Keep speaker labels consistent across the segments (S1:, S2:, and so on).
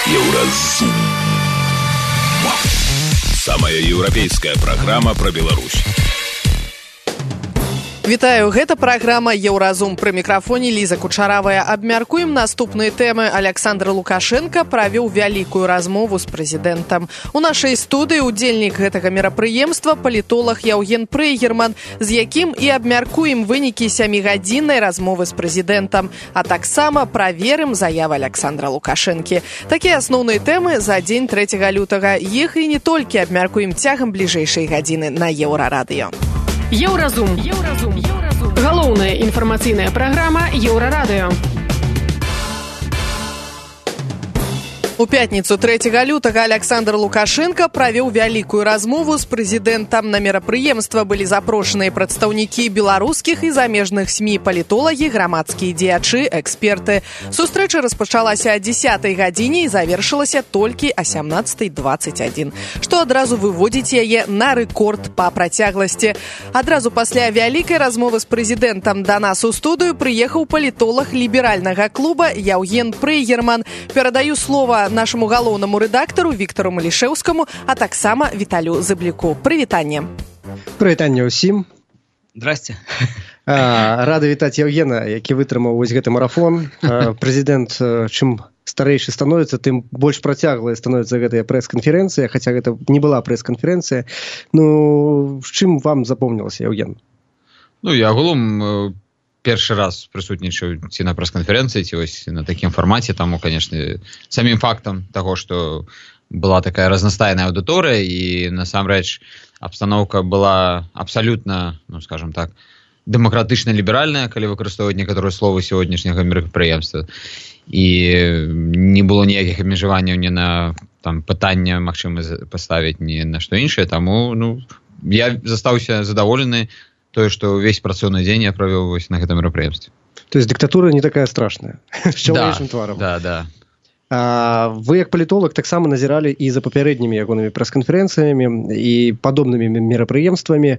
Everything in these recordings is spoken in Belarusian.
S1: Еўразум. Самая еўрапейская праграма пра Беларусь.
S2: Вітаю, гэта праграма «Еўразум». Пры мікрафоне Ліза Кучаравая. Абмяркуем наступныя тэмы. Александр Лукашенко правёў вялікую размову з прэзідэнтам. У нашай студыі удзельнік гэтага мерапрыемства палітолог Яўген Прейгерман, з якім і абмяркуем вынікі 7-гадзіннай размовы з прэзідэнтам, а таксама праверым заявы Александра Лукашэнкі. Такія асноўныя тэмы за дзень 3 лютага. Іх і не толькі абмяркуем цягам бліжэйшай гадзіны на Еўрарадыё.
S3: Еўразум. Галоўная інфармацыйная праграма Еўрарадыё.
S2: У пятніцу 3 лютага Александр Лукашенко правёў вялікую размову з прэзідэнтам. На мерапрыемства былі запрошаныя прадстаўнікі беларускіх і замежных СМІ, палітолагі, грамадскія дзеячы, эксперты. Сустрэча распачалася о 10 гадзіне і завершылася толькі о 17:21, што адразу выводзіць яе на рэкорд па працягласці. Адразу пасля вялікай размовы з прэзідэнтам да нас у студыю прыехаў палітолог ліберальнага клуба Яўген Прейгерман. Перадаю слова нашему галоўнаму рэдактару Віктару Малішэўскаму, а таксама Віталю Зыбліку. Прывітанне.
S4: Прывітанне ўсім.
S5: Здрасце.
S4: Рады вітаць Яўгена, які вытрымаў вось гэты марафон. Прэзідэнт, чым старэйшы становіцца, тым больш працяглая становіцца гэтая прэс-канферэнцыя, хаця гэта не была прэс-канферэнцыя. Ну, з чым вам запомнілася, Яўген?
S5: Ну, я агулам першы раз прысутнічаю ці на прэс-канферэнцыі, ці вось на такім фармаце, таму, канешне, самім фактам таго, што была такая разнастайная аўдыторыя, і насамрэч абстаноўка была абсалютна, ну, скажам так, дэмакратычна-ліберальная, калі выкарыстоўваць некаторыя словы сённяшняга мерапрыемства. І не было ніякіх абмежаванняў ні на там пытанне магчыма паставіць, ні на што іншае, таму, ну, я застаўся задаволены тое, што ўвесь працоўны дзень я правёў вось на гэтым мерапрыемстве.
S4: То есть дыктатура не такая страшная, з чалавечым тварам.
S5: Да.
S4: Вы, як палітолог, таксама назіралі і за папярэднімі ягонымі прэс-канферэнцыямі і падобнымі мерапрыемствамі.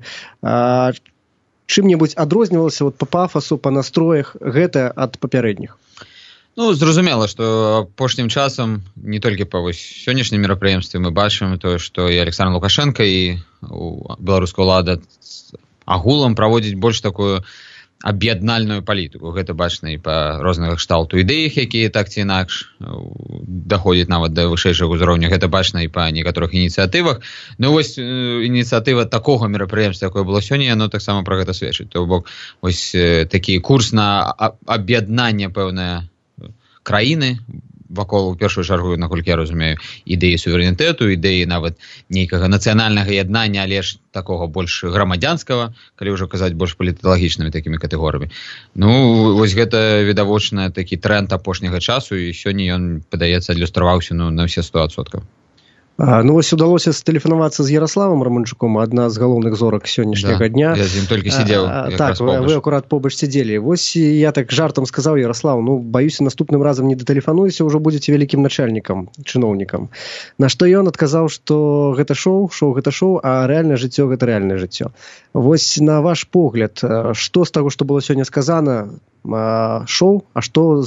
S4: Чым-небудзь адрознівалася вот, па пафасу, па настроях гэта ад папярэдніх?
S5: Ну, зразумела, што апошнім часам не толькі па вось сённяшнім мерапрыемстве мы бачым тое, што і Александр Лукашенко, і беларуская ўлада агулам праводзіць больш такую аб'яднальную палітыку. Гэта бачна і па розных кшталту ідэях, якія так ці інакш даходзяць нават да вышэйшага ўзроўня. Гэта бачна і па некаторых ініцыятывах. Ну вось ініцыятыва такога мерапрыемства, якое было сёння, яно таксама пра гэта сведчыць. То бок вось такі курс на аб'яднанне пэўнае краіны вакол, у першую чаргу, наколькі я разумею, ідэі суверэнітэту, ідэі нават нейкага нацыянальнага яднання, але ж такога больш грамадзянскага, калі ўжо казаць больш паліталагічнымі такімі катэгорыямі. Ну, вось гэта відавочна такі тренд апошняга часу, і сёння ён, падаецца, адлюстраваўся на ўсе 100%.
S4: Ну, вось удалося стэлефанавацца з Ярославам Раманчуком, адна з галоўных зорак сённяшняга дня.
S5: Я з ім толькі сидзеў.
S4: Так, вы акурат побач сидзелі. Вось я так жартам сказаў: Ярослав, ну, баюся, наступным разам не датэлефануюся, ўжо будзеце вялікім начальнікам, чыноўнікам. На што ён адказаў, што гэта шоу, а рэальнае жыццё гэта рэальнае жыццё. Вось на ваш погляд, што з таго, што было сёння сказана, шоу, а што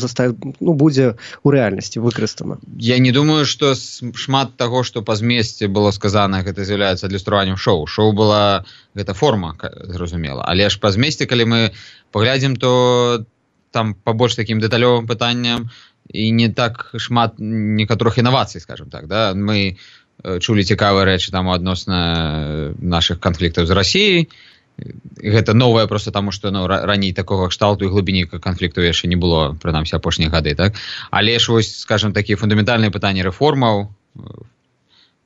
S4: будзе ў рэальнасці выкарыстана?
S5: Я не думаю, што шмат таго, што па змесце было сказана, гэта з'яўляецца адлюстраваннем шоу. Шоу была гэта форма, зразумела. Але ж па змесце, калі мы паглядзім, то там па больш такім дэталёвым пытанням і не так шмат некаторых інавацый, скажем так, да? Мы чулі цікавыя рэчы там адносна нашых канфліктаў з Расіяй. Гэта новае проста таму, што раней такога кшталту і глыбіні канфлікту яшчэ не было, прынамсі апошнія гады, так? Але ж вось, скажем, такія фундаментальныя пытанні рэформаў,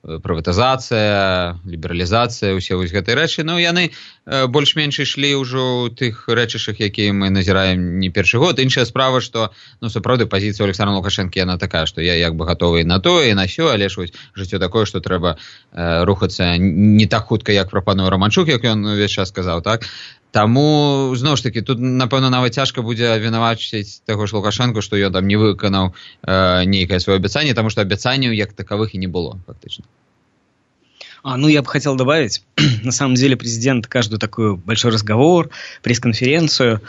S5: прыватызацыя, лібералізацыя, усе вось гэтыя рэчы, ну, яны больш-менш ішлі ўжо ў тых рэчышах, якія мы назіраем не першы год. Іншая справа, што, ну, сапраўды, пазіцыя Александра Лукашэнкі, яна такая, што я як бы гатовы на тое, і на сё, але ж вось жыццё такое, што трэба рухацца не так хутка, як прапануе Раманчук, як ён увесь час сказаў, так? Таму, зноў ж такі, тут, напэўна, нават цяжка будзе абвінавачваць таго ж Лукашэнку, што ён там не выканаў нейкае сваё абяцанне, таму што абяцанняў як таковых і не было, фактычна.
S6: Ну, я бы хотел добавить, на самом деле президент каждый такой большой разговор, пресс-конференцию,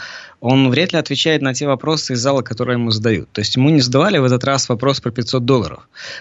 S6: он вряд ли отвечает на те вопросы из зала, которые ему задают. То есть ему не задавали в этот раз вопрос про $500.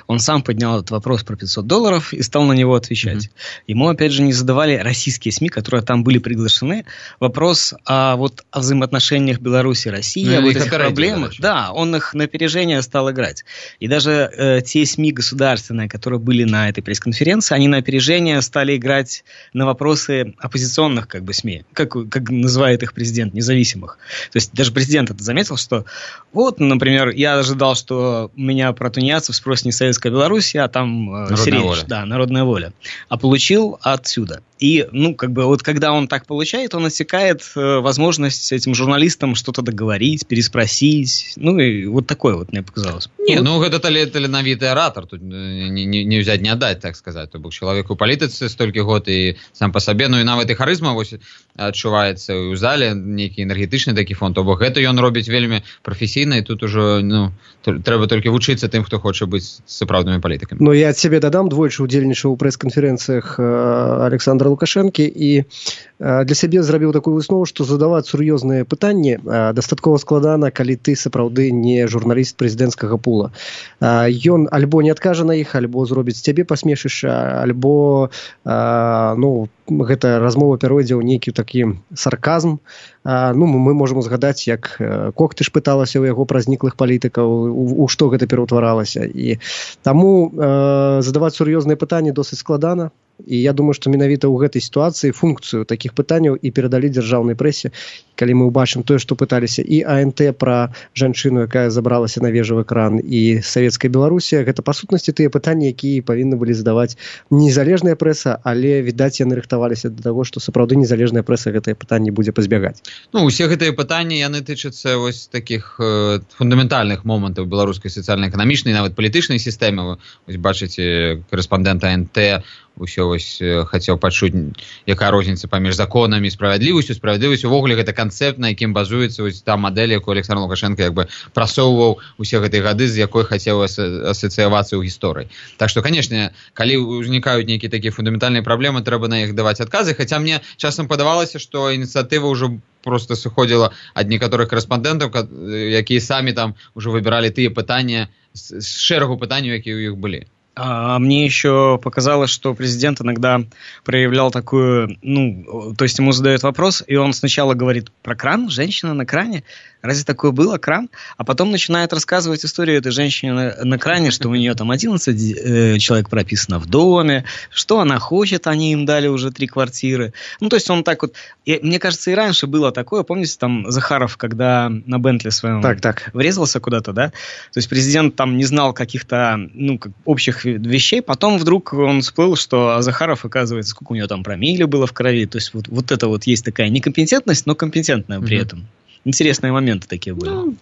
S6: Он сам поднял этот вопрос про $500 и стал на него отвечать. Ему, опять же, не задавали российские СМИ, которые там были приглашены, вопрос о взаимоотношениях Беларуси и России, об этих проблемах. Да, он их на опережение стал играть. И даже те СМИ государственные, которые были на этой пресс-конференции, они на опережение стали играть на вопросы оппозиционных СМИ, как называет их президент, независимых. То есть даже президент это заметил, что например, я ожидал, что меня про тунеядцев спросит не Советская Беларусь, а там народная воля. А получил отсюда. И, когда он так получает, он отсекает возможность этим журналистам что-то договорить, переспросить. И такое мне показалось.
S5: Это таленавіты оратор. Тут не взять, не отдать, так сказать. То бок человек у палітыцы столькі год і сам по сабе, і нават і харызма адчуваецца ў зале, нейкі энергетычны такі фон. То бок гэта ён робіць вельмі прафесійна, і тут ужо трэба толькі вучыцца тым, хто хоча быць сапраўднымі палітыкамі.
S4: Я ад сябе дадам, двойчы удзельнічаў у прэс-канферэнцыях Александра Лукашэнкі і для сябе зрабіў такую выснову, што задаваць сур'ёзныя пытанні дастаткова складана, калі ты сапраўды не журналіст прэзідэнцкага пула. Ён альбо не адкажа на іх, альбо зробіць цябе пасмешышча, альбо гэта размова пяройдзе ў нейкі такі сарказм. Мы можам узгадаць, як Коктыш пыталася ў яго пра зніклых палітыкаў, у што гэта пераўтваралася. І таму задаваць сур'ёзныя пытанні досыць складана. І я думаю, што менавіта ў гэтай сітуацыі функцыю такіх пытанняў і перадалі дзяржаўнай прэсе, калі мы ўбачым тое, што пыталіся і АНТ пра жанчыну, якая забралася на вежавы экран, і Савецкая Беларусія, гэта па сутнасці тыя пытанні, якія павінны былі задаваць незалежная прэса, але, відаць, яны рыхтаваліся да таго, што сапраўды незалежная прэса гэтыя пытанні будзе пазбягаць.
S5: Усе гэтыя пытанні, яны тычацца такіх фундаментальных момантаў беларускай сацыяльна-эканамічнай, нават палітычнай сістэмы. Бачыце, корэспандэнт АНТ усё хацеў пачуць, якая розніца паміж законамі і справядлівасцю. Справядлівасць увогуле гэта канцэпт, на якім базуецца та мадэль, якую Александр Лукашенко прасоўваў усе гэтыя гады, з якой хацеў асацыявацца ў гісторыі. Так што, канешне, калі ўзнікаюць нейкія такія фундаментальныя праблемы, трэба на іх даваць адказы, хаця мне часам падавалася, што ініцыятыва ўжо просто сыходзіла ад некаторых корэспандэнтаў, якія самі там уже выбіралі тыя пытанні з шэрагу пытанняў, якія ў іх былі.
S6: А мне еще показалось, что президент иногда проявлял такую, то есть ему задают вопрос, и он сначала говорит про кран, женщина на кране. Разве такое было, кран? А потом начинает рассказывать историю этой женщины на кране, что у нее там 11 человек прописано в доме, что она хочет, они им дали уже 3 квартиры. То есть он так и, мне кажется, и раньше было такое. Помните, там Захаров, когда на Бентли своем врезался куда-то, да? То есть президент там не знал каких-то, общих вещей, потом вдруг он всплыл, что Захаров, оказывается, сколько у него там промилле было в крови. То есть вот это есть такая некомпетентность, но компетентная при этом. Интересные моменты такие были.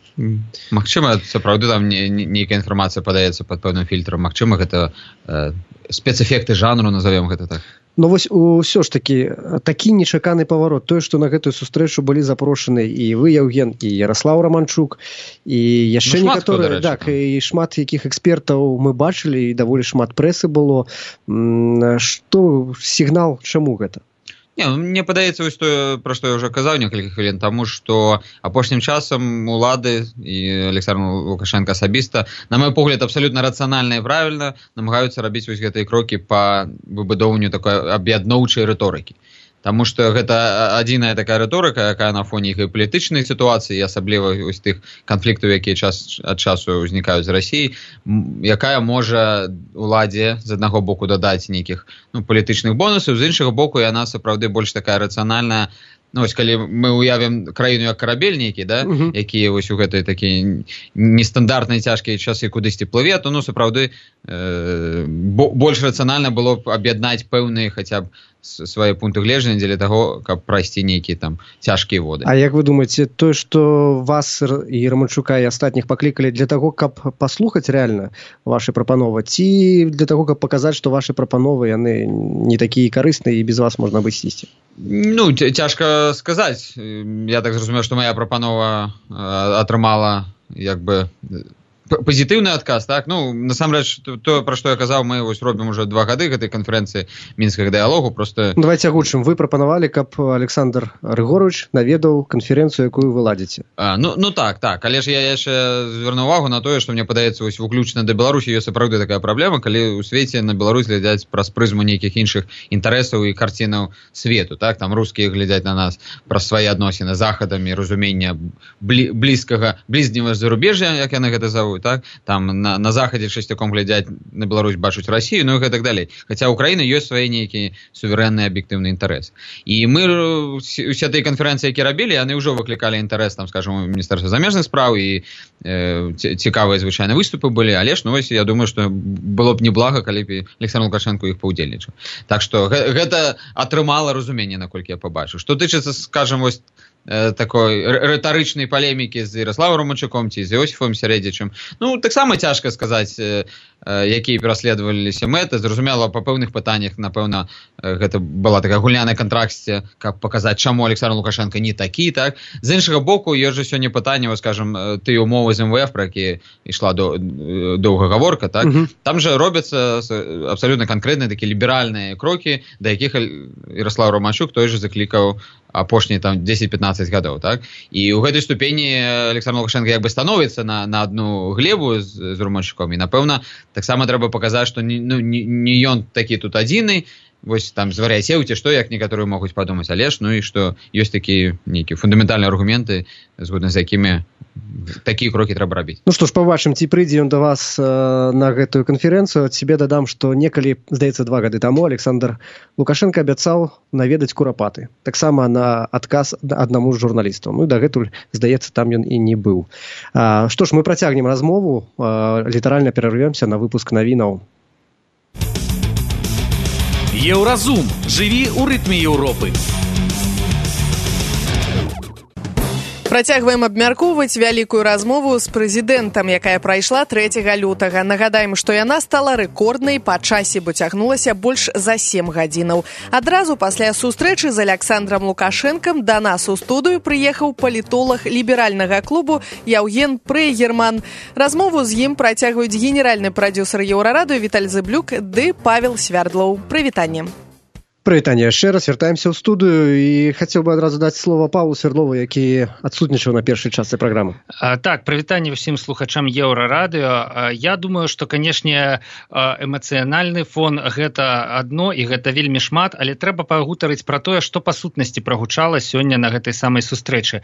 S5: Магчыма, сапраўды там нейкая інфармацыя падаецца пад пэўным фільтрам. Магчыма, гэта спецэфекты жанру, назовем гэта так.
S4: Усё ж такі нечаканы паварот. Тое, што на гэтую сустрэчу былі запрошаны і вы, Яўген, і Ярослаў Раманчук, і яшчэ некаторыя, і шмат якіх экспертаў мы бачылі, і даволі шмат прэсы было. Што сігнал, чаму гэта?
S5: Мне падаецца вось тое, пра што я ўжо казаў некалькі хвілін таму, што апошнім часам улады і Александр Лукашенко асабіста, на мой погляд, абсалютна рацыянальна і правільна намагаюцца рабіць вось гэтыя крокі па выбудоўванню такой аб'ядноўчай рыторыкі. Таму што гэта адзіная такая рыторыка, якая на фоне іх палітычнай сітуацыі, асабліва вось тых канфліктаў, якія час ад часу ўзнікаюць з Расіі, якая можа уладзе з аднаго боку дадаць нейкіх палітычных бонусаў, з іншага боку яна сапраўды больш такая рацыянальная. Калі мы уявім краіну як карабель нейкі, які вось у гэтай такія нестандартныя цяжкія часы кудысьці плыве, то сапраўды больш рацыянальна было б аб'яднаць пэўныя хаця б свае пункты гледжання дзеля таго, каб прайсці нейкія там цяжкія воды.
S4: А як вы думаеце, тое, што вас і Раманчука і астатніх паклікалі для таго, каб паслухаць рэальна вашы прапановы, ці для таго, каб паказаць, што вашы прапановы яны не такія карысныя і без вас можна абысціся?
S5: Цяжка сказаць. Я так зразумеў, што моя прапанова атрымала пазітыўны адказ, так? Ну, насамрэч, то, пра што я казаў, мы вось робім уже 2 гады гэтай канферэнцыі мінскага дыялогу, просто...
S4: Давайте агучым. Вы прапанавалі, каб Александр Рыгорович наведаў канферэнцыю, якую вы ладзіце.
S5: Ну так, але ж я яшчэ звярну увагу на тое, што мне падаецца, вось выключна да Беларусі ёсць сапраўды такая праблема, калі ў свеце на Беларусь глядзяць праз прызму нейкіх іншых інтарэсаў і карцінаў свету, так? Там рускія глядзяць на нас праз свае адносіны з захадамі, разумення блізняга зарубежжя, як яны гэта завуць. Так? Там на захадзе часцяком глядзяць на Беларусь, бачуць Расію, ну і гэтак далей. Хаця ў Украіны ёсць свае нейкія суверэнныя аб'ектыўныя інтарэсы. І мы усе тыя канферэнцыі, якія рабілі, яны ўжо выклікалі інтарэс, там, скажем, у Міністэрства замежных спраў і цікавыя звычайна выступы былі, але ж, ну вось, я думаю, што было б неблага, калі б Александр Лукашенко іх паўдзельнічаў. Так што гэта атрымала разуменне, наколькі я пабачыў. Што тычыцца, скажем, вось такой рытарычнай палемікі з Ярославом Романчуком ці з Іосіфом Сярэдзічым. Ну, таксама цяжка сказаць, якія пераследаваліся мэты. Зразумела, па пэўных пытаннях, напэўна, гэта была такая гульня на кантрасце, каб паказаць, чаму Александр Лукашенко не такі, так? З іншага боку, ёсць жа сёння пытанне, скажем, тыя умовы з МВФ, пра якія ішла доўга гаворка, так? Там жа робяцца абсалютна канкрэтныя такія ліберальныя крокі, да якіх Ярослав Романчук той жа заклікаў апошнія там 10-15 гадоў, так? І ў гэтай ступені Александр Лукашенко як бы становіцца на адну глебу з Романчуком, і напэўна таксама трэба паказаць, што не ён такі тут адзіны, вось там звар'яцеў ці што, як некаторыя могуць падумаць, але ж, ну і што ёсць такія нейкія фундаментальныя аргументы, згодна з якімі такія крокі трэба рабіць.
S4: Ну што ж, пабачым, ці прыйдзе ён да вас на гэтую канферэнцыю. Ад себе дадам, што некалі, здаецца, 2 гады таму Александр Лукашенко абяцаў наведаць Курапаты. Таксама на адказ аднаму з журналістаў. Ну і дагэтуль, здаецца, там ён і не быў. Што ж, мы працягнем размову, літаральна перарвёмся на выпуск навінаў.
S1: Еўразум. Жыві ў рытме Еўропы.
S2: Працягваем абмяркоўваць вялікую размову з прэзідэнтам, якая прайшла 3 лютага. Нагадаем, што яна стала рэкорднай па часе, бо цягнулася больш за 7 гадзінаў. Адразу пасля сустрэчы з Александром Лукашэнкам да нас у студыю прыехаў палітолаг ліберальнага клубу Яўген Прейгерман. Размову з ім працягваюць генеральны прадзюсар Еўрарадыё Віталь Зыблюк ды Павел Свярдлоў. Прывітанне.
S4: Прывітанне яшчэ раз, вяртаемся ў студыю і хацеў бы адразу даць слова Павлу Свярдлову, які адсутнічаў на першай частцы праграмы.
S7: Так, прывітанне ўсім слухачам Еўрарадыё. Я думаю, што, канешне, эмацыянальны фон гэта адно і гэта вельмі шмат, але трэба пагутарыць пра тое, што па сутнасці прагучала сёння на гэтай самай сустрэчы.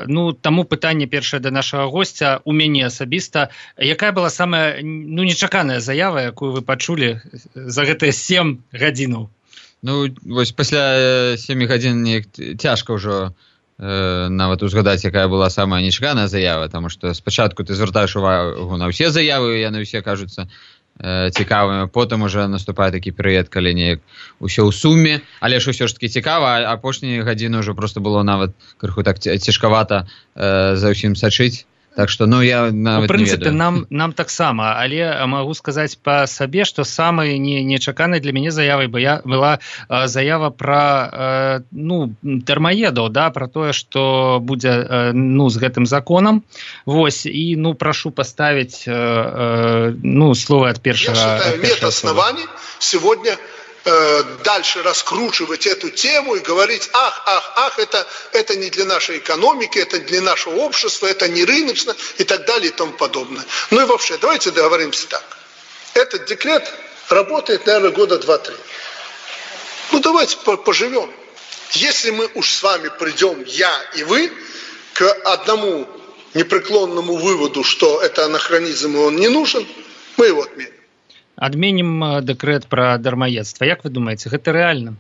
S7: Ну, таму пытанне першае да нашага госця у мяне асабіста. Якая была самая, нечаканая заява, якую вы пачулі за гэтыя 7 гадзінаў?
S5: Ну, вось пасля 7 гадзін цяжка ўжо нават узгадаць, якая была самая нечаканая заява, таму што спачатку ты звяртаеш увагу на ўсе заявы, яны ўсе кажуцца цікавымі, потым уже наступае такі перыяд, калі неяк усё ў суме, але ж усё ж такі цікава, а апошнія гадзіны ўжо проста было нават крыху так цяжкавата за ўсім сачыць. Так што, ну, я нават не ведаю.
S7: Нам таксама, але магу сказаць па сабе, што самай нечаканай для мяне заявай была заява пра, дармаедаў, да, пра тое, што будзе, з гэтым законам. Вось, і, прашу поставить, слово от первого.
S8: Я считаю, нет оснований сегодня дальше раскручивать эту тему и говорить, это не для нашей экономики, это для нашего общества, это не рыночно и так далее и тому подобное. Ну и вообще, давайте договоримся так. Этот декрет работает, наверное, года 2-3. Ну давайте поживем. Если мы уж с вами придем, я и вы, к одному непреклонному выводу, что это анахронизм и он не нужен, мы его отменим.
S7: Адменім дэкрэт пра дармаедства. Як вы думаеце, гэта рэальна?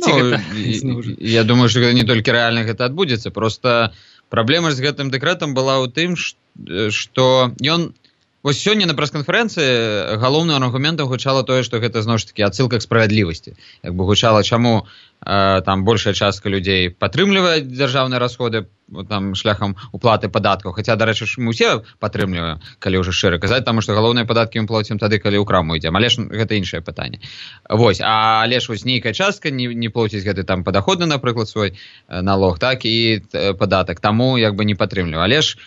S5: Я думаю, што не толькі рэальна гэта адбудзецца, просто праблема з гэтым дэкрэтам была ў тым, што ён... Вось сёння на прэс-канферэнцыі галоўным аргументам гучала тое, што гэта зноў ж такі адсылка к справядлівасці. Як бы гучала, чаму там большая частка людзей падтрымлівае дзяржаўныя расходы там шляхам уплаты падаткаў, хаця, дарэчы, мы ўсе падтрымліваем, калі ўжо шчыра казаць, таму што галоўныя падаткі мы плацім тады, калі ў краму ідзем, але ж гэта іншае пытанне. Вось, але ж вось нейкая частка не плоціць гэты там падаходны, напрыклад, свой налог, так, і падатак, таму як бы не падтрымліваю. Але ж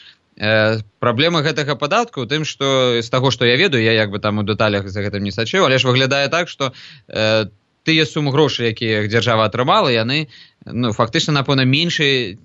S5: праблема гэтага падатку ў тым, што з таго, што я ведаю, я як бы там у дэталях за гэтым не сачыў, але ж выглядае так, што тыя сумы грошай, якія дзяржава атрымала, яны фактычна, напэўна, меншыя,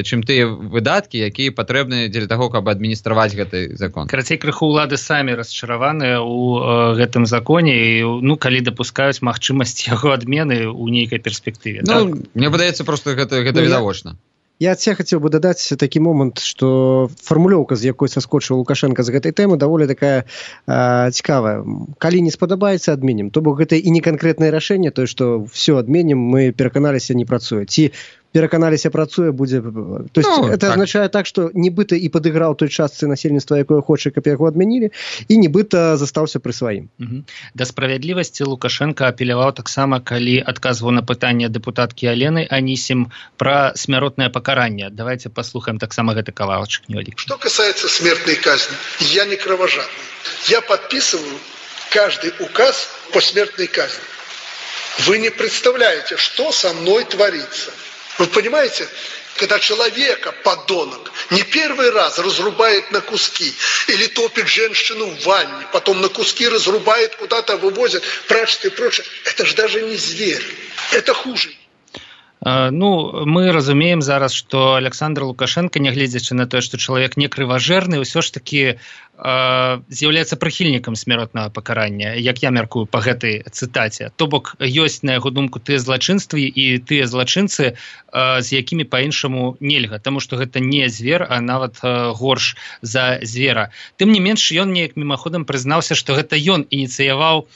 S5: чым тыя выдаткі, якія патрэбны дзеля таго, каб адміністраваць гэты закон.
S7: Карацей, крыху ўлады самі расчараваныя ў гэтым законе і, калі дапускаюць магчымасць яго адмены ў нейкай перспектыве.
S5: Мне падаецца, проста гэта відавочна.
S4: Я хотел бы дадаць такі момант, што фармулёўка, з якой саскочыў Лукашенко з гэтай тэмы, даволі такая цікавая. Калі не спадабаецца, адменім. То бок гэта і не канкрэтнае рашэнне, то, што все адменім, мы пераканаліся, не працуе. Ці пераканаліся, працуе, будзе... То есть это означае так, што нібыта і падыграў той частцы насельніцтва, якое хоча, каб яго адмянілі, і нібыта застаўся пры сваім.
S7: Да справядлівасці Лукашенко апеляваў таксама, калі адказваў на пытанне дэпутаткі Алены Анісім пра смяротнае пакаранне. Давайте послухаем таксама гэты кавалачак невялікі.
S8: Что касается смертной казни, я не кровожадный. Я подписываю каждый указ по смертной казни. Вы не представляете, что со мной творится. Вы понимаете, когда человека, подонок, не первый раз разрубает на куски или топит женщину в ванне, потом на куски разрубает, куда-то вывозят, прячет и прочее, это же даже не зверь, это хуже.
S7: Мы разумеем зараз, што Александр Лукашенко, нягледзячы на тое, што чалавек не крыважэрны, ўсё ж такі з'яўляецца прыхільнікам смяротнага пакарання, як я мяркую па гэтай цытаце. То бок ёсць, на яго думку, тыя злачынствы і тыя злачынцы, з якімі па-іншаму нельга, таму што гэта не звер, а нават горш за звера. Тым не менш, ён неяк мімаходам прызнаўся, што гэта ён ініцыяваў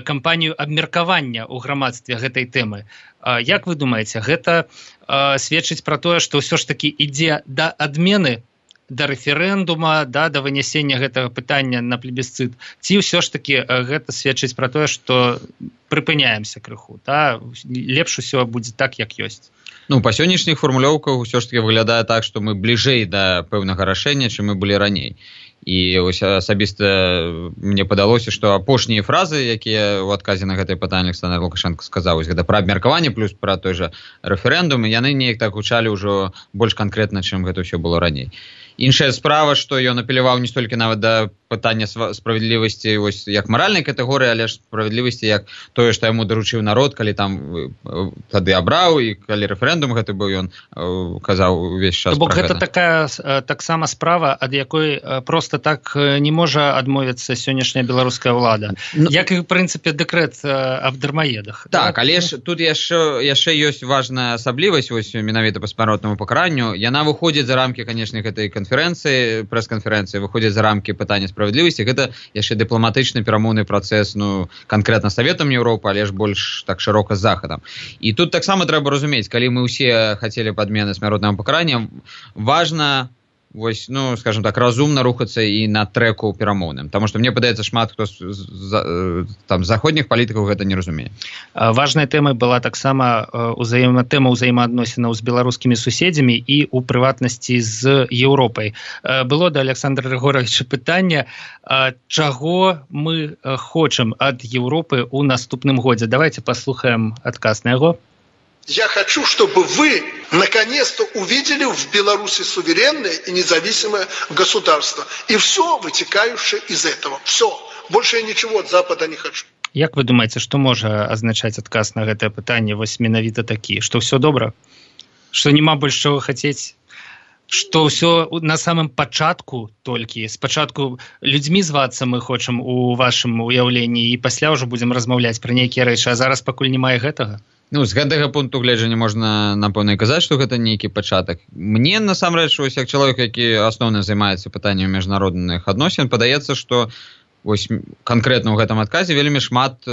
S7: кампанію абмеркавання ў грамадстве гэтай тэмы. Як вы думаеце, гэта сведчыць пра тое, што ўсё ж такі ідзе да адмены, да рэферэндума, да вынясення гэтага пытання на плебісцыт, ці ўсё ж такі гэта сведчыць пра тое, што прыпыняемся крыху, лепш усё будзе так, як ёсць?
S5: Па сённяшніх фармулёўках ўсё ж такі выглядае так, што мы бліжэй да пэўнага рашэння, чым мы былі раней. І асабіста мне падалося, што апошнія фразы, якія ў адказе на гэтае пытанне Александр Лукашенко сказаў, гэта пра абмеркаванне плюс пра той жа рэферэндум, яны неяк так гучалі ўжо больш канкрэтна, чым гэта ўсё было раней. Іншая справа, што ён апеляваў не столькі нават да пытання справядлівасці як маральнай катэгорыі, але ж справядлівасці як тое, што яму даручыў народ, калі там тады абраў, і калі рэферэндум гэты быў, ён казаў увесь час пра гэта.
S7: Гэта такая таксама справа, ад якой проста так не можа адмовіцца сённяшняя беларуская ўлада. Як і, в прынцыпе, дэкрэт аб дармаедах.
S5: Так, але ж тут яшчэ ёсць важная асаблівасць, менавіта па смяротнаму пакаранню. Яна выходзіць за рамкі, канечне, гэтай канферэнцыі, прэс-канферэнцыі, выходзіць за рамкі пытання справядлівасці. Гэта яшчэ дыпламатычны перамоўны працэс, канкрэтна Саветам Еўропы, але ж больш так шырока з Захадам. І тут таксама трэба разумець, калі мы ўсе хацелі падмены смяротнага пакарання, важна скажем так, разумна рухацца і на трэку перамоўным. Таму што мне падаецца, шмат хто з заходніх палітыкаў гэта не разумее.
S7: Важнай тэмай была таксама тэма ўзаемаадносінаў з беларускімі суседзямі і, у прыватнасці, з Еўропай. Было да Александра Григоровича пытанне, чаго мы хочам ад Еўропы ў наступным годзе. Давайте паслухаем адказ на яго.
S8: Я хочу, чтобы вы наконец-то увидели в Беларуси суверенное и независимое государство. И все вытекающее из этого. Все. Больше я ничего от Запада не хочу.
S7: Як вы думаете, что можа азначаць адказ на гэтае пытанне менавіта такі? Что все добра? Что нема больш чаго хацець? Что все на самым пачатку толькі? Спачатку людзьмі звацца мы хочам у вашым уяўленні, і пасля ўжо будзем размаўляць пра нейкія рэчы, а зараз пакуль немає гэтага?
S5: З гэтага пункту гледжання можна, напэўна, казаць, што гэта нейкі пачатак. Мне, насамрэч, як чалавек, які асноўна займаецца пытаннямі міжнародных адносін, падаецца, што канкрэтна ў гэтым адказе вельмі шмат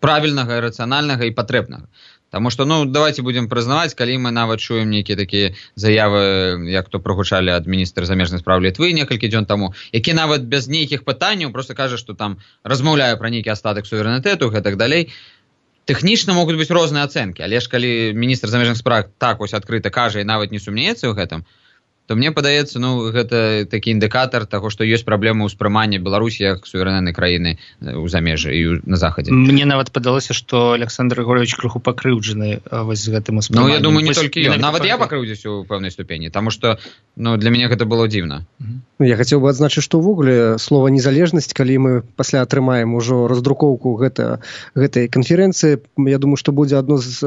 S5: правільнага, рацыянальнага і патрэбнага. Таму што, давайте будзем прызнаваць, калі мы нават чуем нейкія такія заявы, як то прагучалі ад міністра замежных спраў Літвы некалькі дзён таму, які нават без нейкіх пытанняў проста кажа, што там размаўляе пра нейкі астатак суверэнітэту і гэтак далей. Тэхнічна могуць быць розныя ацэнкі, але ж калі міністр замежных спраў так адкрыта кажа і нават не сумнеецца ў гэтым, то мне падаецца, гэта такі індыкатар таго, што ёсць праблема ўспрымання Беларусі як суверэннай краіны ў замежжы і на захадзе.
S7: Мне нават падалося, што Александр Григорьевич крыху пакрыўджаны вось з гэтым успрыманнем.
S5: Я думаю, не толькі ён. Нават я пакрыўдзіўся ў пэўнай ступені, таму што для мяне гэта было дзіўна.
S4: Я хацеў бы адзначыць, што ўвогуле слова незалежнасць, калі мы пасля атрымаем ужо раздрукоўку гэтай канферэнцыі, я думаю, што будзе адно з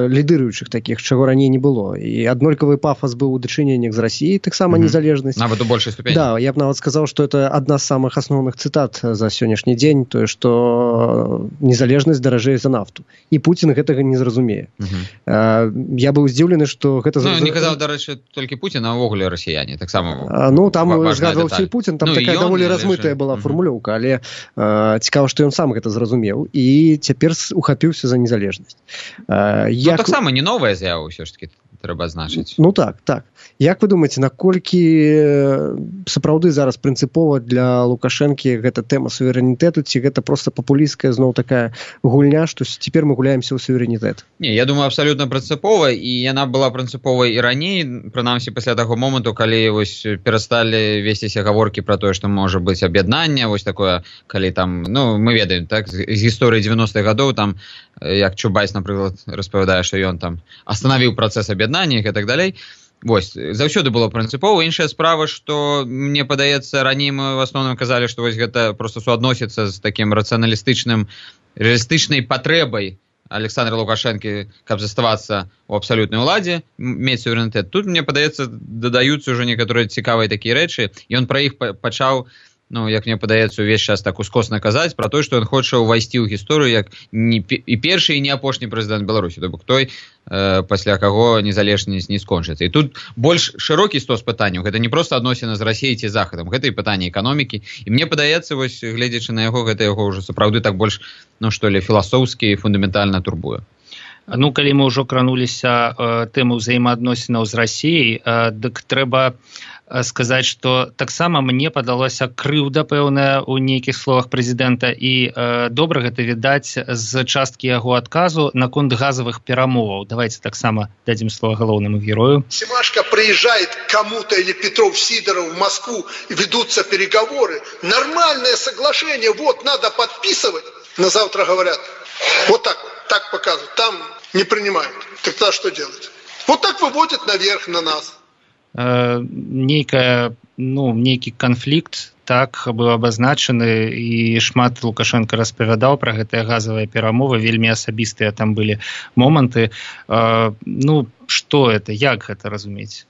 S4: лідыруючых такіх, чаго раней не было. І аднолькавы пафас быў у дачыненнях з Расіяй, таксама незалежнасць.
S5: Нават у большай ступені.
S4: Да, я б нават сказаў, што это адна з самых асноўных цытат за сённяшні дзень, тое, што незалежнасць даражэй за нафту. І Пуцін гэтага не зразумее. Я быў здзіўлены, што гэта...
S5: не казаў, дарэчы, толькі Пуцін, а ўвогуле расіяне. Таксама
S4: там згадваўся і Пуцін, там такая даволі размытая была фармулёўка, але цікава, што ён сам гэта зразумеў і цяпер ухапіўся за незалежнасць.
S5: Таксама не новая з'ява ўсё ж такі трэба адзначыць.
S4: Так. Як вы думаеце, наколькі сапраўды зараз прынцыпова для Лукашэнкі гэта тэма суверэнітэту, ці гэта проста папулісцкая зноў такая гульня, што цяпер мы гуляемся ў суверэнітэт?
S5: Не, я думаю, абсалютна прынцыпова, і яна была прынцыповай і раней, прынамсі пасля таго моманту, калі вось перасталі весціся гаворкі пра тое, што можа быць аб'яднанне, вось такое, калі там, мы ведаем, так, з гісторыі 90-х гадоў, там, як Чубайс, напрыклад, распавядае, што ён там астанавіў працэс аб'яднання і так далей. Вось, заўсёды было прынцыпова. Іншая справа, што мне падаецца, раней мы в асноўным казалі, што вось гэта проста суадносіцца з такім рэалістычнай патрэбай Александра Лукашэнкі, каб заставацца ў абсалютнай уладзе, мець суверэнітэт. Тут, мне падаецца, дадаюцца ўжо некаторыя цікавыя такія рэчы. Ён пра іх пачаў, як мне падаецца, увесь час так ускосна казаць пра тое, што ён хоча ўвайсці ў гісторыю як і першы, і не апошні прэзідэнт Беларусі, то бок той, пасля каго незалежнасць не скончыцца. І тут больш шырокі стос пытанняў. Гэта не проста адносіна з Расіяй ці Захадам, гэта і пытанне эканомікі. І мне падаецца, вось, гледзячы на яго, гэта яго ўжо сапраўды так больш, філасофскі і фундаментальна турбуе.
S7: Калі мы ўжо крануліся тэму ўзаемаадносінаў з Расіяй, дык трэба сказаць, што таксама мне падалася крыўда пэўная ў нейкіх словах прэзідэнта, і добра гэта відаць з часткі яго адказу наконт газавых перамоваў. Давайте таксама дадзім слово галоўнаму герою.
S8: Семашко приезжает кому-то или Петров Сидоров в Москву, ведутся переговоры, нормальное соглашение, вот надо подписывать. На завтра говорят, вот так показывают, там не принимают. Тогда что делать? Вот так выводят наверх на нас.
S7: Нейкі канфлікт так быў абазначаны, і шмат Лукашенко распавядаў пра гэтыя газавыя перамовы, вельмі асабістыя там былі моманты. Што это, як гэта разумець?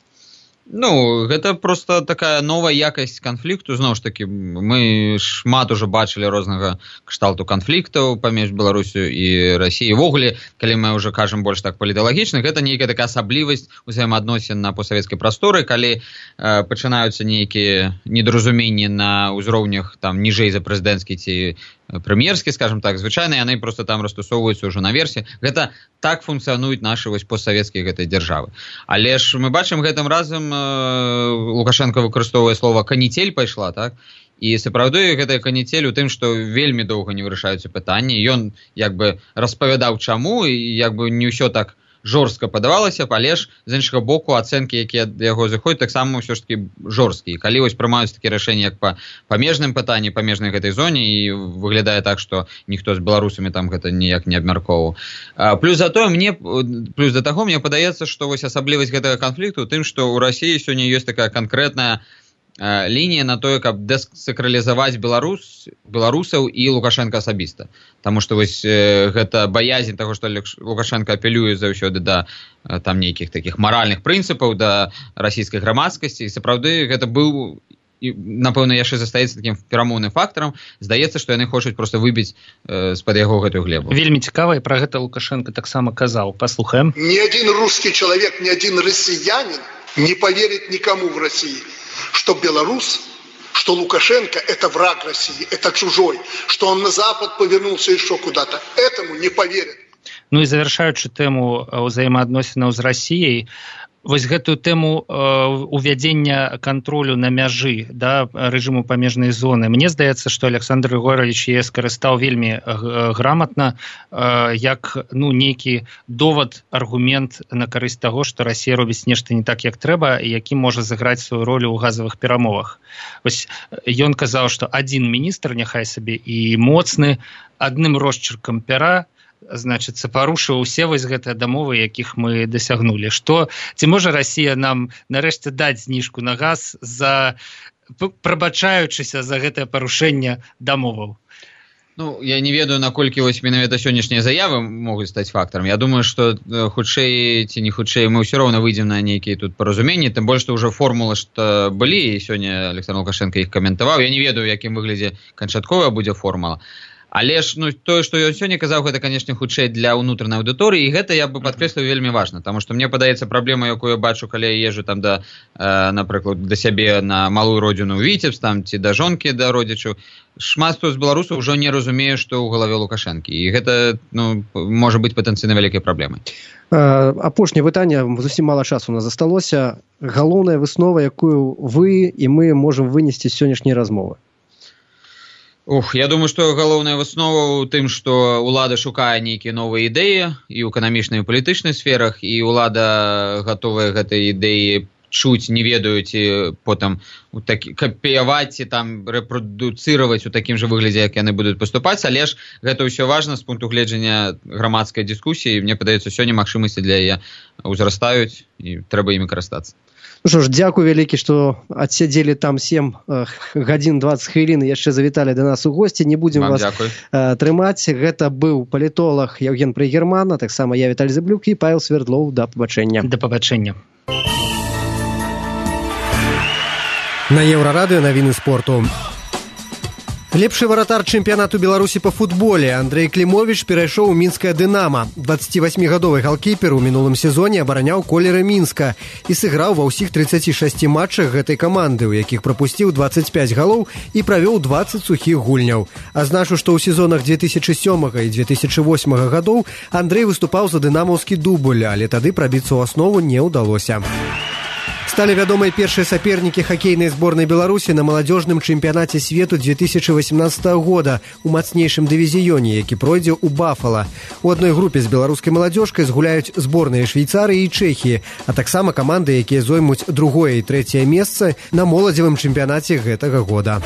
S5: Гэта просто такая новая якасць канфлікту. Зноў ж такі, мы шмат ужо бачылі рознага кшталту канфліктаў паміж Беларусю і Расіяй. Увогуле, калі мы ўжо кажам больш так паліталагічна, гэта нейкая такая асаблівасць узаемаадносін на постсавецкай прасторы, калі пачынаюцца нейкія недаразуменні на ўзроўнях там ніжэй за прэзідэнцкі ці прэм'ерскі, скажем так, звычайна яны просто там растусоўваюцца ўжо наверсе. Гэта так функцыянуюць нашы вось постсавецкія гэтай дзяржавы. Але ж мы бачым, гэтым разам Лукашенко выкарыстоўвае слова «каніцель» пайшла, так? І сапраўды гэтая каніцель у тым, што вельмі доўга не вырашаюцца пытанні. Ён як бы распавядаў чаму, і як бы не ўсё так жорстка падавалася, але ж з іншага боку ацэнкі, якія ад яго заходзяць, таксама ўсё ж такі жорсткія. Калі вось прымаюцца такія рашэнні, як па памежным пытанні, памежнай гэтай зоне, і выглядае так, што ніхто з беларусамі там гэта ніяк не абмяркоўваў. Плюс да таго, мне падаецца, што вось асаблівасць гэтага канфлікту ў тым, што ў Расіі сёння ёсць такая канкрэтная лінія на тое, каб дэсакралізаваць беларусаў і Лукашенко асабіста. Таму што вось гэта баязень таго, што Лукашенко апелюе заўсёды да там нейкіх такіх маральных прынцыпаў, да расійскай грамадскасці. І сапраўды гэта быў, напэўна, яшчэ застаецца такім перамоўным фактарам. Здаецца, што яны хочуць проста выбіць з-пад яго гэтую глебу.
S7: Вельмі цікава, і пра гэта Лукашенко таксама казаў. Паслухаем.
S8: Ни один русский человек, ни один россиянин не поверит никому в России, что белорус, что Лукашенко – это враг России, это чужой, что он на Запад повернулся еще куда-то. Этому не поверят.
S7: І завершаючы тэму ўзаемаадносінаў з Расіяй, Вось гэтую тэму увядзення кантролю на мяжы, да, рэжыму памежнай зоны. Мне здаецца, што Александр Григорьевич яе скарыстаў вельмі грамотна, як нейкі довад, аргумент на карысць таго, што Расія робіць нешта не так, як трэба, і які можа сыграць сваю ролю ў газавых перамовах. Вось ён казаў, што адзін міністр, няхай сабе і моцны, адным росчыркам пера, значыцца, парушыў усе вось гэтыя дамовы, якіх мы дасягнулі. Ці можа Расія нам нарэшце даць зніжку на газ, прабачаючыся за гэтае парушэнне дамоваў?
S5: Я не ведаю, наколькі вось менавіта сённяшнія заявы могуць стаць фактарам. Я думаю, што хутчэй ці не хутчэй мы ўсё роўна выйдзем на нейкія тут паразуменні, тым больш, што ўжо формулы што былі, і сёння Александр Лукашенко іх каментаваў. Я не ведаю, у якім выглядзе канчатковая будзе формула. Але ж тое, што ён сёння казаў, гэта, канешне, хутчэй для ўнутранай аўдыторыі, і гэта я бы падкрэсліў вельмі важна, таму што мне падаецца праблема, якую я бачу, калі я езджу там напрыклад, да сябе на малую родзіну ў Віцебск, там ці да жонкі, да родзічаў. Шмат хто з беларусаў ўжо не разумее, што ў галаве Лукашэнкі, і гэта можа быць патэнцыйна вялікай праблемай.
S4: Апошняе пытанне, зусім мала часу у нас засталося. Галоўная выснова, якую вы і мы можам вынесці з сённяшняй размовы?
S5: Я думаю, што галоўная выснова ў тым, што ўлада шукае нейкія новыя ідэі і ў эканамічнай і палітычнай сферах, і ўлада гатовая гэтай ідэі чуць, не ведаюць, і потым капіяваць і там рэпрадуцыраваць у такім жа выглядзе, як яны будуць паступаць, але ж гэта ўсё важна з пункту гледжання грамадскай дыскусіі, і мне падаецца, сёння магчымасці для яе ўзрастаюць, і трэба імі карыстацца.
S4: Што ж, дзякуй вялікі, што адсядзелі там 7 гадзін 20 хвілін і яшчэ завіталі да нас у госці. Не будзем вас трымаць. Гэта быў палітолог Евген Прыгерман, а таксама я, Віталій Зяблюк, і Павел Свердлоў. Да пабачэння.
S7: Да пабачэння.
S9: На Еўрарадыё навіны спорту. Лепшы варатар чэмпіянату Беларусі па футболе Андрэй Клімовіч перайшоў у мінскае «Дынама». 28-гадовы галкіпер у мінулым сезоне абараняў колеры Мінска і сыграў ва ўсіх 36 матчах гэтай каманды, у якіх прапусціў 25 галоў і правёў 20 сухіх гульняў. Азначу, што ў сезонах 2007 і 2008 гадоў Андрэй выступаў за дынамаўскі дубль, але тады прабіцца ў аснову не ўдалося. Сталі вядомыя першыя сапернікі хакейнай зборнай Беларусі на маладзёжным чэмпіянаце свету 2018 года у мацнейшым дывізіёне, які пройдзе ў Бафала. У адной групе з беларускай маладзёжкай згуляюць зборныя Швейцарыі і Чэхіі, а таксама каманды, якія зоймуць другое і трэцяе месца на моладзевым чэмпіянаце гэтага года.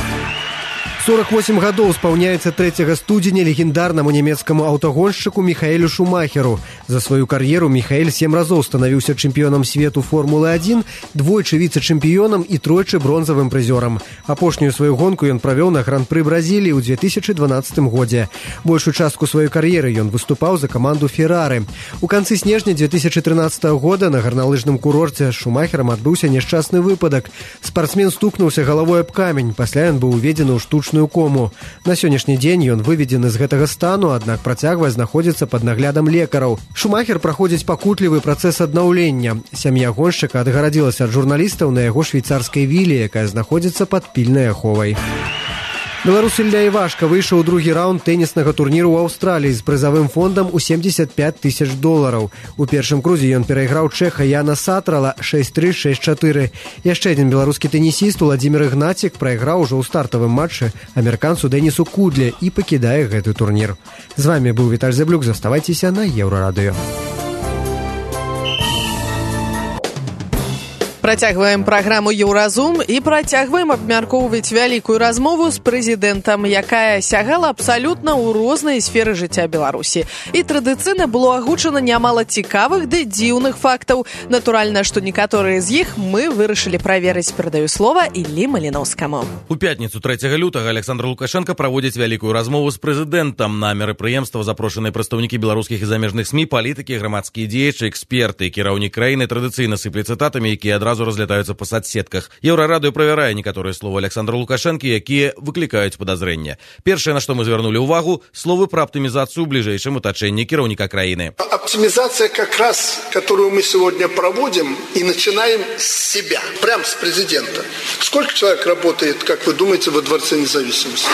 S9: 48 гадоў спаўняецца 3 студзеня легендарнаму нямецкаму аўтагоншчыку Міхаэлю Шумахеру. За сваю кар'еру Міхаэль 7 разоў станавіўся чэмпіёнам свету Формулы-1, двойчы віцэ-чэмпіёнам і тройчы бронзавым прызёрам. Апошнюю сваю гонку ён правёў на Гран-пры Бразіліі ў 2012 годзе. Большую частку сваёй кар'еры ён выступаў за каманду «Феррары». У канцы снежня 2013 года на гарналыжным курорце з Шумахерам адбыўся няшчасны выпадак. Спартсмен стукнуўся галавой аб камень, пасля ён быў уведзены ў штучную кому. На сённяшні дзень ён выведзены з гэтага стану, аднак працягвае знаходзіцца пад наглядам лекараў. Шумахер праходзіць пакутлівы працэс аднаўлення. Сям'я гоншчыка адгарадзілася ад журналістаў на яго швейцарскай віле, якая знаходзіцца пад пільнай аховай. Беларус Ілля Івашка выйшаў у другі раунд тэніснага турніру ў Аўстраліі з прызавым фондам у $75 000. У першым крузе ён перайграў чэха Яна Сатрала 6-3, 6-4. Яшчэ адзін беларускі тэнісіст Уладзімір Ігнацік прайграў ужо ў стартавым матчы амерыканцу Дэнісу Кудле і пакідае гэты турнір. З вамі быў Віталь Зяблюк. Заставайцеся на Еўрарадыё.
S2: Працягваем праграму «Еўразум» і працягваем абмяркоўваць вялікую размову з прэзідэнтам, якая сягала абсалютна ў рознай сферы жыцця Беларусі. І традыцыйна было агучана нямала цікавых ды дзіўных фактаў. Натуральна, што некаторыя з іх мы вырашылі праверыць. Перадаю слова Іллі Маліноўскаму.
S1: У пятніцу 3 лютага Александр Лукашенко праводзіць вялікую размову з прэзідэнтам. На мерапрыемства запрошаныя прадстаўнікі беларускіх і замежных СМІ, палітыкі, грамадскія дзеячы, эксперты. Кіраўнік краіны традыцыйна сыпле цытатамі, якія адразу разлетаюцца па соцсетках. Еўрарадыё правярае некаторыя словы Александра Лукашэнкі, якія выклікаюць падазрэння. Першае, на што мы звярнулі ўвагу, словы пра аптымізацыю ў бліжэйшым атачэнні кіраўніка краіны.
S8: Оптимизация как раз, которую мы сегодня проводим, и начинаем с себя, прямо с президента. Сколько человек работает, как вы думаете, во Дворце независимости?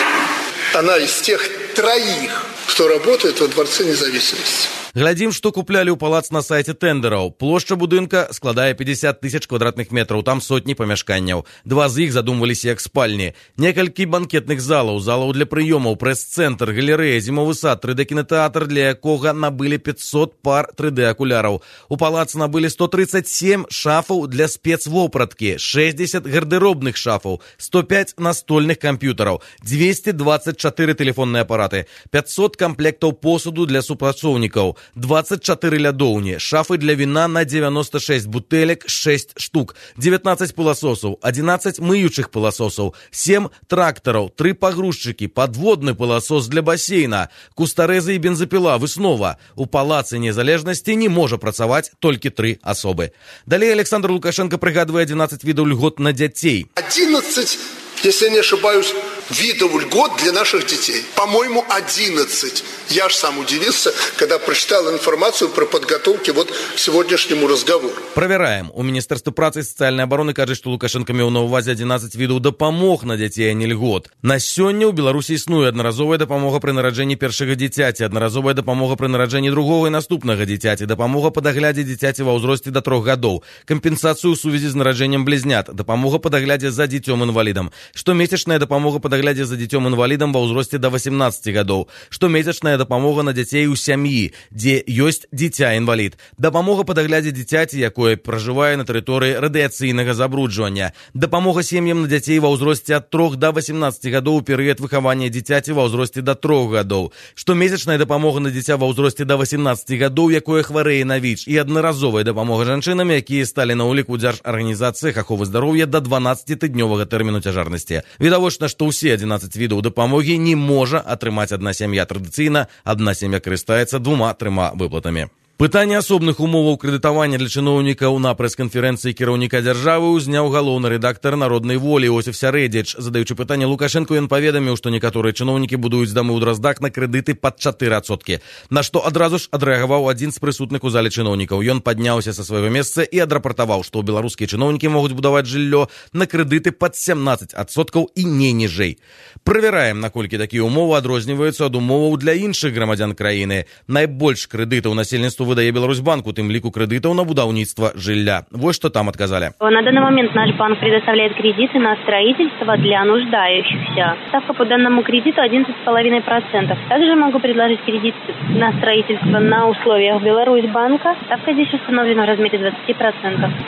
S8: Она из тех 3, кто работает во Дворце независимости.
S1: Глядзім, што куплялі ў палац на сайце тендераў. Плошча будынка складае 50 тысяч квадратных метраў, там сотні памяшканняў. 2 з іх задумваліся як спальні. Некалькі банкетных залаў, залаў для прыёмаў, прэс-цэнтр, галерэя, зімовы сад, 3D-кінотэатр, для якога набылі 500 пар 3D-акуляраў. У палац набылі 137 шафаў для спецвопраткі, 60 гардеробных шафаў, 105 настольных камп'ютараў, 224 тэлефонныя апараты, 500 камплектаў посуду для супрацоўнікаў, 24 лядоўні, шафы для віна на 96 бутэлек, 6 штук, 19 пыласосаў, 11 мыючых пыласосаў, 7 трактараў, 3 пагрузчыкі, падводны пыласос для басейна, кустарэзы і бензапіла, выснова. У палацы Незалежнасці не можа працаваць толькі 3 асобы. Далей Александр Лукашенко прыгадвае 11 відаў льгот на дзяцей.
S8: 11, если не ошибаюсь, видов льгот для наших детей. По-моему, 11. Я ж сам удивился, когда прочитал информацию про подготовки вот к сегодняшнему разговору.
S1: Правяраем. У Міністэрства працы і сацыяльнай абароны кажуць, што Лукашенко меў на ўвазе 11 відаў дапамог на дзяцей, а не льгот. На сёння ў Беларусі існуе аднаразовая дапамога пры нараджэнні першага дзіцяці, аднаразовая дапамога пры нараджэнні другога і наступнага дзіцяці, дапамога па даглядзе дзіцяці ва ўзросце да 3 гадоў, кампенсацыю ў сувязі з нараджэннем блізнят, дапамога па даглядзе за дзіцём-інвалідам, штомесячная дапамога па даглядзе за дзіцём-інвалідам ва ўзросце да 18 гадоў, штомесячная дапамога на дзяцей у сям'і, дзе ёсць дзіця-інвалід, дапамога па даглядзе дзіцяці, якое пражывае на тэрыторыі радыяцыйнага забруджвання, дапамога сем'ям на дзяцей ва ўзросце ад 3 да 18 гадоў у перыяд выхавання дзіцяці ва ўзросце да 3 гадоў, штомесячная дапамога на дзіця ва ўзросце да 18 гадоў, якое хварэе на ВІЧ, і аднаразовая дапамога жанчынам, якія сталі на ўліку дзяржарганізацыях аховы здароўя да 12-тыднёвага тэрміну цяжарнасці. Відавочна, што ўсе 11 відаў дапамогі не можа атрымаць адна сям'я. Традыцыйна адна сям'я карыстаецца 2-3 выплатамі. Пытанне асобных умоваў крэдытавання для чыноўнікаў на прэс-канферэнцыі кіраўніка дзяржавы ўзняў галоўны рэдактар «Народнай волі» Осип Сярэдзіч. Задаючы пытанне Лукашенко, ён паведаміў, што некаторыя чыноўнікі будуюць дамы ў Драздах на крэдыты пад 4%, на што адразу ж адрэагаваў адзін з прысутных у зале чыноўнікаў. Ён падняўся са свайго месца і адрапартаваў, што беларускія чыноўнікі могуць будаваць жыллё на крэдыты пад 17% і не ніжэй. Правяраем, наколькі такія умовы адрозніваюцца ад умоваў для іншых грамадзян краіны. Найбольш крэдытаў насельніцтву выдае Беларусьбанк, у тым ліку крэдытаў на будаўніцтва жылля. Вот что там отказали.
S10: На данный момент наш банк предоставляет кредиты на строительство для нуждающихся. Ставка по данному кредиту 11,5%. Также могу предложить кредит на строительство на условиях Беларусьбанка. Ставка здесь установлена в размере 20%.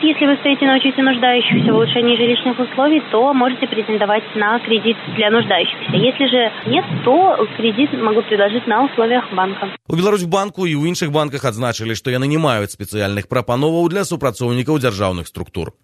S10: Если вы стоите на учете нуждающихся в улучшении жилищных условий, то можете претендовать на кредит для нуждающихся. Если же нет, то кредит могу предложить на условиях банка.
S1: У Беларусьбанку і ў іншых банках адзначылі, што яны не маюць спецыяльных прапановаў для супрацоўнікаў дзяржаўных структур.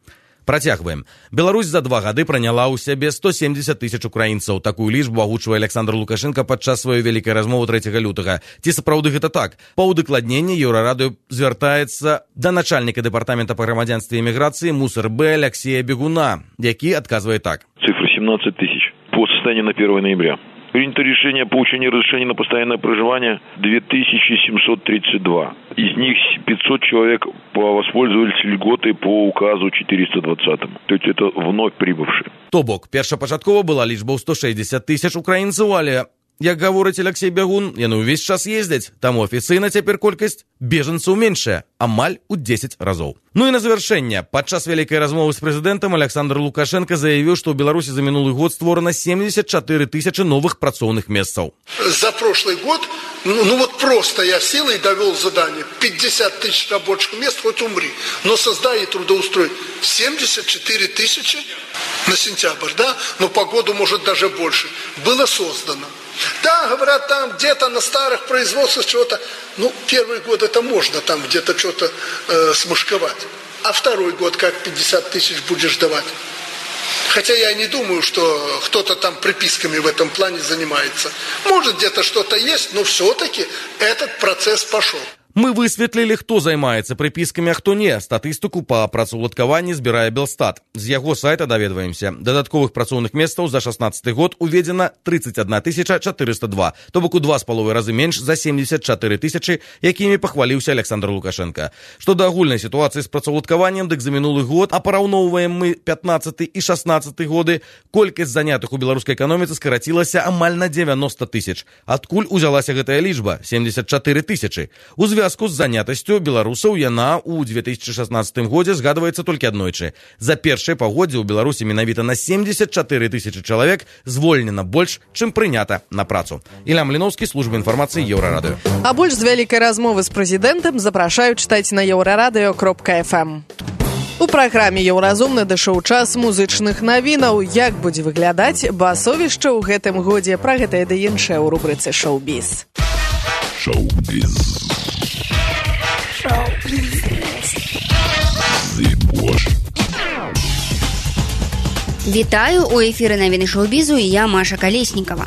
S1: Працягваем. Беларусь за 2 гады праняла ў сябе 170 тысяч украінцаў. Такую лічбу агучвае Александр Лукашенко падчас сваёй вялікай размовы 3 лютага. Ці сапраўды гэта так? Па ўдакладненні Еўрарадыё звяртаецца да начальніка дэпартамента па грамадзянстве і эміграцыі МусРБ Алексея Бегуна, які адказвае так.
S11: Цифра 17 тысяч. По состоянию на 1 ноября. Принято решение о получении разрешения на постоянное проживание 2732. Из них 500 человек воспользовались льготой по указу 420. То есть это вновь прибывшие.
S1: То бок, першапачаткова была лічба ў 160 тысяч украінцаў, але, як гаворыць Алексей Бегун, яны ўвесь час ездзяць, таму афіцыйна цяпер колькасць бежанцаў меншая, амаль у 10 разоў. Ну і на завяршэнне, падчас вялікай размовы з прэзідэнтам Александр Лукашенко заявіў, што ў Беларусі за мінулы год створана 74 тысячи новых працоўных месцаў.
S8: За прошлый год, вот просто я сел и довел задание. 50 тысяч рабочих мест, хоть умри. Но создай и трудоустрой 74 тысячи на сентябрь, да? Но по году может даже больше. Было создано. Да, говорят, там где-то на старых производствах чего-то. Первый год это можно там где-то что-то смышковать. А второй год как 50 тысяч будешь давать? Хотя я не думаю, что кто-то там приписками в этом плане занимается. Может, где-то что-то есть, но все-таки этот процесс пошел.
S1: Мы высветлілі, хто займаецца прыпіскамі, а хто не. Статыстыку па працаўладкаванні збірае Белстат. З яго сайта даведваемся. Дадатковых працоўных месцаў за 16 год уведзена 31 402, то бок у 2,5 разы менш за 74 тысячи, якімі пахваліўся Александр Лукашенко. Што да агульнай сітуацыі з працаўладкаваннем, дык за мінулы год, а параўноўваем мы 15 і 16 годы, колькасць занятых у беларускай эканоміцы скарацілася амаль на 90 тысяч. Адкуль узялася гэтая лічба? 74 тысячи. У звязку з занятасцю беларусаў яна ў 2016 годзе згадваецца толькі аднойчы. За першае паўгоддзе ў Беларусі менавіта на 74 тысячы чалавек звольнена больш, чым прынята на працу. Ілля Мліновскі, служба інфармацыі Еўрарадыё.
S2: А больш з вялікай размовы з прэзідэнтам запрашаю чытаць на еўрарадыё.фм. У праграме «Еўразум» надышоў час музычных навінаў. Як будзе выглядаць басовішча ў гэтым годзе? Пра гэта і да іншае ў рубрыцы «Шоу-біз».
S12: Шоу-біз.
S13: Вітаю, у эфіры навіны шоу-бізу і я, Маша Калеснікава.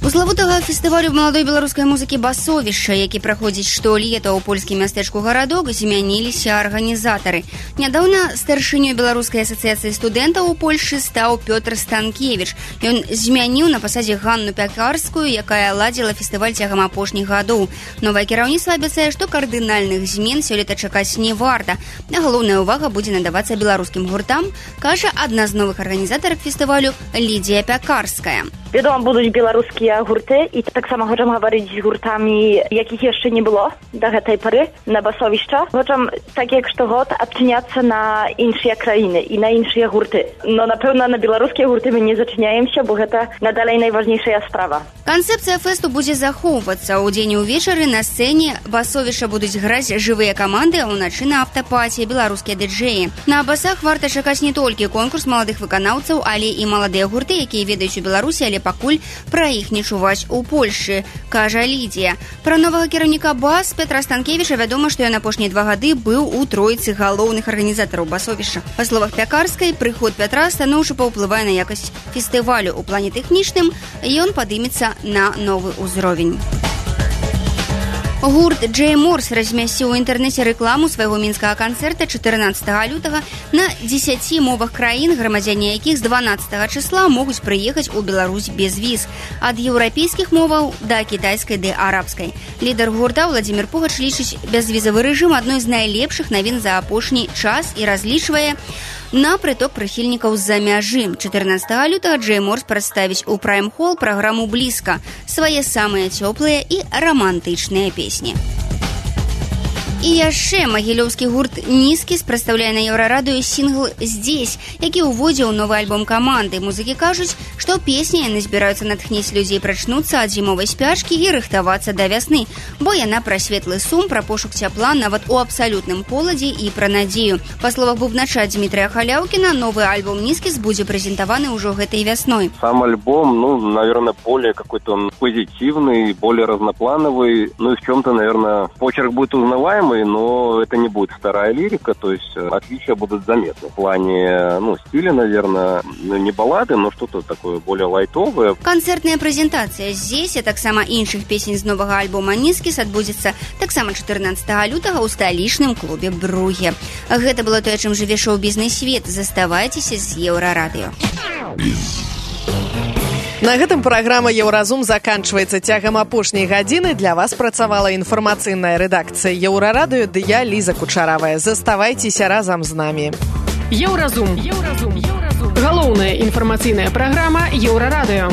S13: У славутага фестывалю маладой беларускай музыкі «Басовішча», які праходзіць штолета ў польскім мястэчку Гарадок, змяніліся арганізатары. Нядаўна старшынёй беларускай асацыяцыі студэнтаў у Польшы стаў Пётр Станкевіч. Ён змяніў на пасадзе Ганну Пякарскую, якая ладзіла фестываль цягам апошніх гадоў. Новае кіраўніцтва абяцае, што кардынальных змен сёлета чакаць не варта. А галоўная ўвага будзе надавацца беларускім гуртам, кажа адна з новых арганізатарак фестывалю Лідзія Пякарская.
S14: Wiadomo, будуть белорусские гурты, и так само хочем говорить с гуртами, яких еще не было до этой поры на басовища. Хочем, так як штогод, обчиняться на іншие країни и на іншие гурты. Но, напевно, на белорусские гурты мы не зачиняемся, бо это надалей найважнейшая справа.
S13: Канцэпцыя фэсту будзе захоўвацца. У дзень і ўвечары на сцэне басовішча будуць граць жывыя каманды, а ўначы на аўтапаці беларускія дыджэі. На басах варта чакаць не толькі конкурс маладых выканаўцаў, але і маладыя гурты, якія ведаюць у Беларусі, але пакуль пра іх не чуваць у Польшы, кажа Лідзія. Пра новага кіраўніка бас Петра Станкевіча вядома, што ён апошнія 2 гады быў у тройцы галоўных арганізатараў басовішча. Па словах Пякарскай, прыход Пятра станоўча паўплывае на якасць фестывалю. У плане тэхнічным ён падымецца на новы ўзровень. Гурт Джей Морс размясціў у інтэрнэце рэкламу свайго мінскага канцэрта 14 лютага на 10 мовах краін, грамадзяне якіх з 12 числа могуць прыехаць у Беларусь без віз. Ад еўрапейскіх моваў да кітайскай ды арабскай. Лідар гурта Владзімір Пугач лічыць бязвізавы рэжым адной з найлепшых навін за апошні час і разлічвае на прыток прыхільнікаў з-за мяжы. 14 лютага Джей Морс прадставіць у Прайм-хол праграму «Блізка», свае самыя цёплыя і рамантычныя песні. І яшчэ магілёўскі гурт «Нізкіс» прадстаўляе на Еўрарадыё сінгл «Здесь», які ўводзіў новы альбом каманды. Музыкі кажуць, што песні яны збіраюцца натхніць людзей прачнуцца ад зімовай спячкі і рыхтавацца да вясны, бо яна пра светлы сум, пра пошук цяпла нават у абсалютным холадзе і пра надзею. Па словах бубнача Дмітрия Халяўкіна, новы альбом «Нізкіс» будзе прэзентаваны ўжо гэтай вясной.
S15: Сам альбом, наверное, более какой-то он позитивный, более разноплановый, и в чем-то, наверное, почерк будет узнаваемый, но это не будет старая лирика, то есть отличия будут заметны. В плане, стиля, наверное, не баллады, но что-то такое более лайтовое.
S13: Канцэртная прэзентацыя здесь, а таксама іншых песень з новага альбома «Нізкіс» адбудзецца таксама 14 лютага ў сталічным клубе «Бруге». Гэта было тое, чым жыве шоу-бізнес свет. Заставайцеся з Еўрарадыё.
S2: На гэтым праграма «Еўразум» заканчваецца. Цягам апошняй гадзіны для вас працавала інфармацыйная рэдакцыя «Еўрарадыё» ды я, Ліза Кучаравая. Заставайцеся разам з намі.
S3: «Еўразум». Галоўная інфармацыйная праграма «Еўрарадыё».